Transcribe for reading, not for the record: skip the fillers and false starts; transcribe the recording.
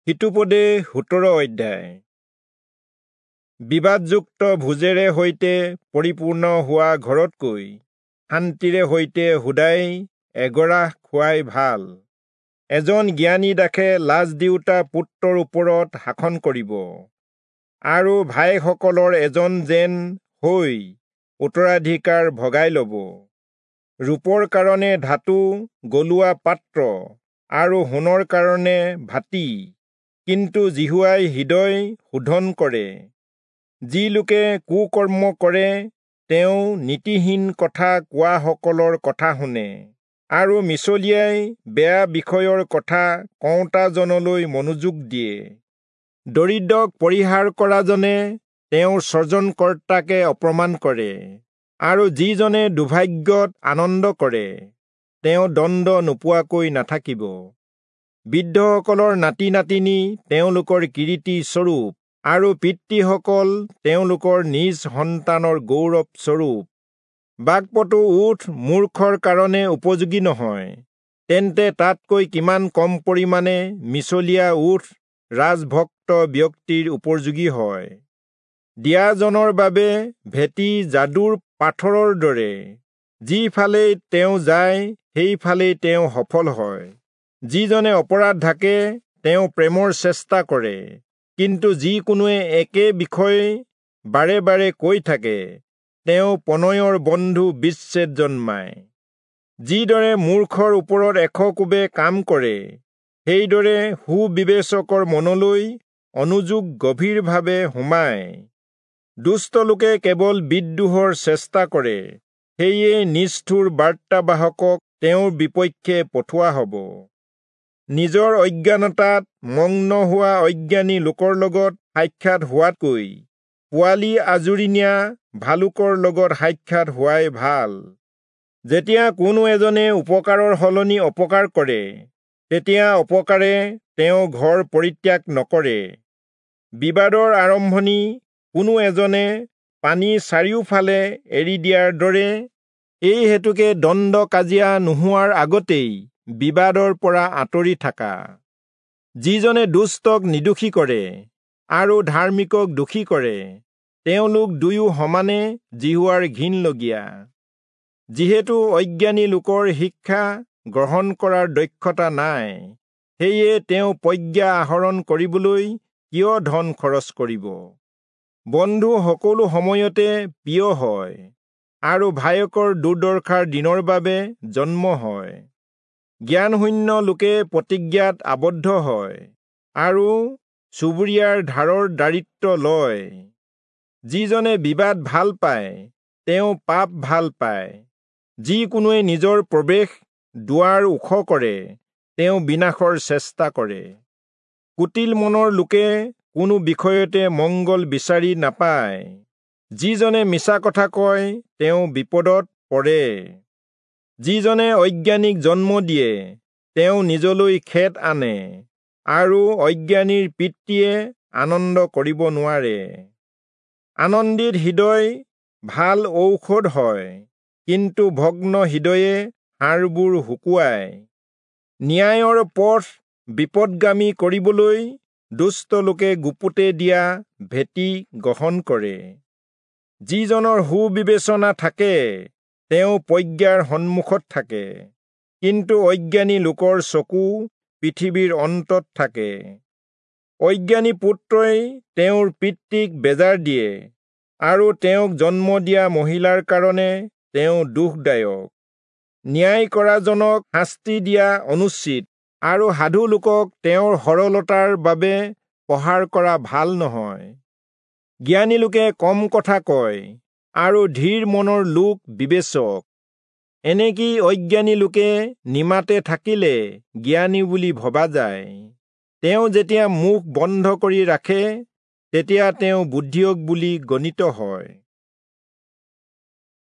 হিতোপদেশ 17 অধ্যায়। বিবাদযুক্ত ভোজেৰে সৈতে পৰিপূৰ্ণ হোৱা ঘৰতকৈ শান্তিৰে সৈতে সুদাই এগৰাহ খোৱাই ভাল। এজন জ্ঞানী দাসে লাজ দিওঁতা পুত্ৰৰ ওপৰত শাসন কৰিব, আৰু ভাইসকলৰ এজন যেন হৈ উত্তৰাধিকাৰ ভগাই ল'ব। ৰূপৰ কাৰণে ধাতু গলোৱা পাত্ৰ আৰু সোণৰ কাৰণে ভাটি, কিন্তু যিহোৱাই হৃদয় শোধন কৰে। যি লোকে কুকৰ্ম কৰে, তেওঁ নীতিহীন কথা কোৱাসকলৰ কথা শুনে, আৰু মিছলীয়াই বেয়া বিষয়ৰ কথা কওঁতাজনলৈ মনোযোগ দিয়ে। দৰিদ্ৰক পৰিহাৰ কৰাজনে তেওঁৰ সৰ্জনকৰ্তাকে অপমান কৰে, আৰু যিজনে দুৰ্ভাগ্যত আনন্দ কৰে, তেওঁ দণ্ড নোপোৱাকৈ নাথাকিব। বৃদ্ধসকলৰ নাতি নাতিনী তেওঁলোকৰ কিৰীটি স্বৰূপ, আৰু পিতৃসকল তেওঁলোকৰ নিজ সন্তানৰ গৌৰৱ স্বৰূপ। বাকপটু ওঁঠ মূৰ্খৰ কাৰণে উপযোগী নহয়, তেন্তে তাতকৈ কিমান কম পৰিমাণে মিছলীয়া ওঁঠ ৰাজভক্ত ব্যক্তিৰ উপযোগী হয়। দিয়াজনৰ বাবে ভেটি যাদুৰ পাথৰৰ দৰে, যিফালেই তেওঁ যায় সেইফালেই তেওঁ সফল হয়। যিজনে অপৰাধ ঢাকে তেওঁ প্ৰেমৰ চেষ্টা কৰে, কিন্তু যিকোনোৱে একে বিষয়ে বাৰে বাৰে কৈ থাকে, তেওঁ প্ৰণয়ৰ বন্ধু বিচ্ছেদ জন্মায়। যিদৰে মূৰ্খৰ ওপৰত 100 কোবে কাম কৰে, সেইদৰে সুবিবেচকৰ মনলৈ অনুযোগ গভীৰভাৱে সোমায়। দুষ্ট লোকে কেৱল বিদ্ৰোহৰ চেষ্টা কৰে, সেয়ে নিষ্ঠুৰ বাৰ্তাবাহকক তেওঁৰ বিপক্ষে পঠোৱা হ'ব। নিজৰ অজ্ঞানতাত মগ্ন হোৱা অজ্ঞানী লোকৰ লগত সাক্ষাৎ হোৱাতকৈ পোৱালি আঁজুৰি নিয়া ভালুকৰ লগত সাক্ষাৎ হোৱাই ভাল। যেতিয়া কোনো এজনে উপকাৰৰ সলনি অপকাৰ কৰে, তেতিয়া অপকাৰে তেওঁ ঘৰ পৰিত্যাগ নকৰে। বিবাদৰ আৰম্ভণি কোনো এজনে পানী চাৰিওফালে এৰি দিয়াৰ দৰে, এই হেতুকে দণ্ড কাজিয়া নোহোৱাৰ আগতেই বিবাদৰ পৰা আঁতৰি থাকা। যিজনে দুষ্টক নিৰ্দোষী কৰে আৰু ধাৰ্মিকক দোষী কৰে, তেওঁলোক দুয়ো সমানে যিহোৱাৰ ঘিণলগীয়া। যিহেতু অজ্ঞানী লোকৰ শিক্ষা গ্ৰহণ কৰাৰ দক্ষতা নাই, সেয়ে তেওঁ প্ৰজ্ঞা আহৰণ কৰিবলৈ কিয় ধন খৰচ কৰিব? বন্ধু সকলো সময়তে প্ৰিয় হয়, আৰু ভায়েকৰ দুৰ্দশাৰ দিনৰ বাবে জন্ম হয়। জ্ঞানশূন্য লোকে প্ৰতিজ্ঞাত আবদ্ধ হয়, আৰু চুবুৰীয়াৰ ধাৰৰ দাৰিত্ব লয়। যিজনে বিবাদ ভাল পায়, তেওঁ পাপ ভাল পায়। যিকোনোৱে নিজৰ প্ৰৱেশ দুৱাৰ ওখ কৰে, তেওঁ বিনাশৰ চেষ্টা কৰে। কুটিল মনৰ লোকে কোনো বিষয়তে মংগল বিচাৰি নাপায়। যিজনে মিছা কথা কয়, তেওঁ বিপদত পৰে। যিজনে অজ্ঞানীক জন্ম দিয়ে, তেওঁ নিজলৈ খেদ আনে, আৰু অজ্ঞানীৰ পিতৃয়ে আনন্দ কৰিব নোৱাৰে। আনন্দিত হৃদয় ভাল ঔষধ হয়, কিন্তু ভগ্ন হৃদয়ে হাড়বোৰ শুকুৱায়। ন্যায়ৰ পথ বিপদগামী কৰিবলৈ দুষ্ট লোকে গুপুতে দিয়া ভেটি গ্ৰহণ কৰে। যিজনৰ সুবিবেচনা থাকে, তেওঁ প্ৰজ্ঞাৰ সন্মুখত থাকে, কিন্তু অজ্ঞানী লোকৰ চকু পৃথিৱীৰ অন্তত থাকে। অজ্ঞানী পুত্ৰই তেওঁৰ পিতৃক বেজাৰ দিয়ে, আৰু তেওঁক জন্ম দিয়া মহিলাৰ কাৰণে তেওঁ দুখদায়ক। ন্যায় কৰাজনক শাস্তি দিয়া অনুচিত, আৰু সাধু লোকক তেওঁৰ সৰলতাৰ বাবে প্ৰহাৰ কৰা ভাল নহয়। জ্ঞানী লোকে কম কথা কয়, আৰু ধীৰ মনৰ লোক বিবেচক। এনেকি অজ্ঞানী লোকে নিমাতে থাকিলে জ্ঞানী বুলি ভবা যায়। তেওঁ যেতিয়া মুখ বন্ধ কৰি ৰাখে, তেতিয়া তেওঁ বুদ্ধিয়ক বুলি গণিত হয়।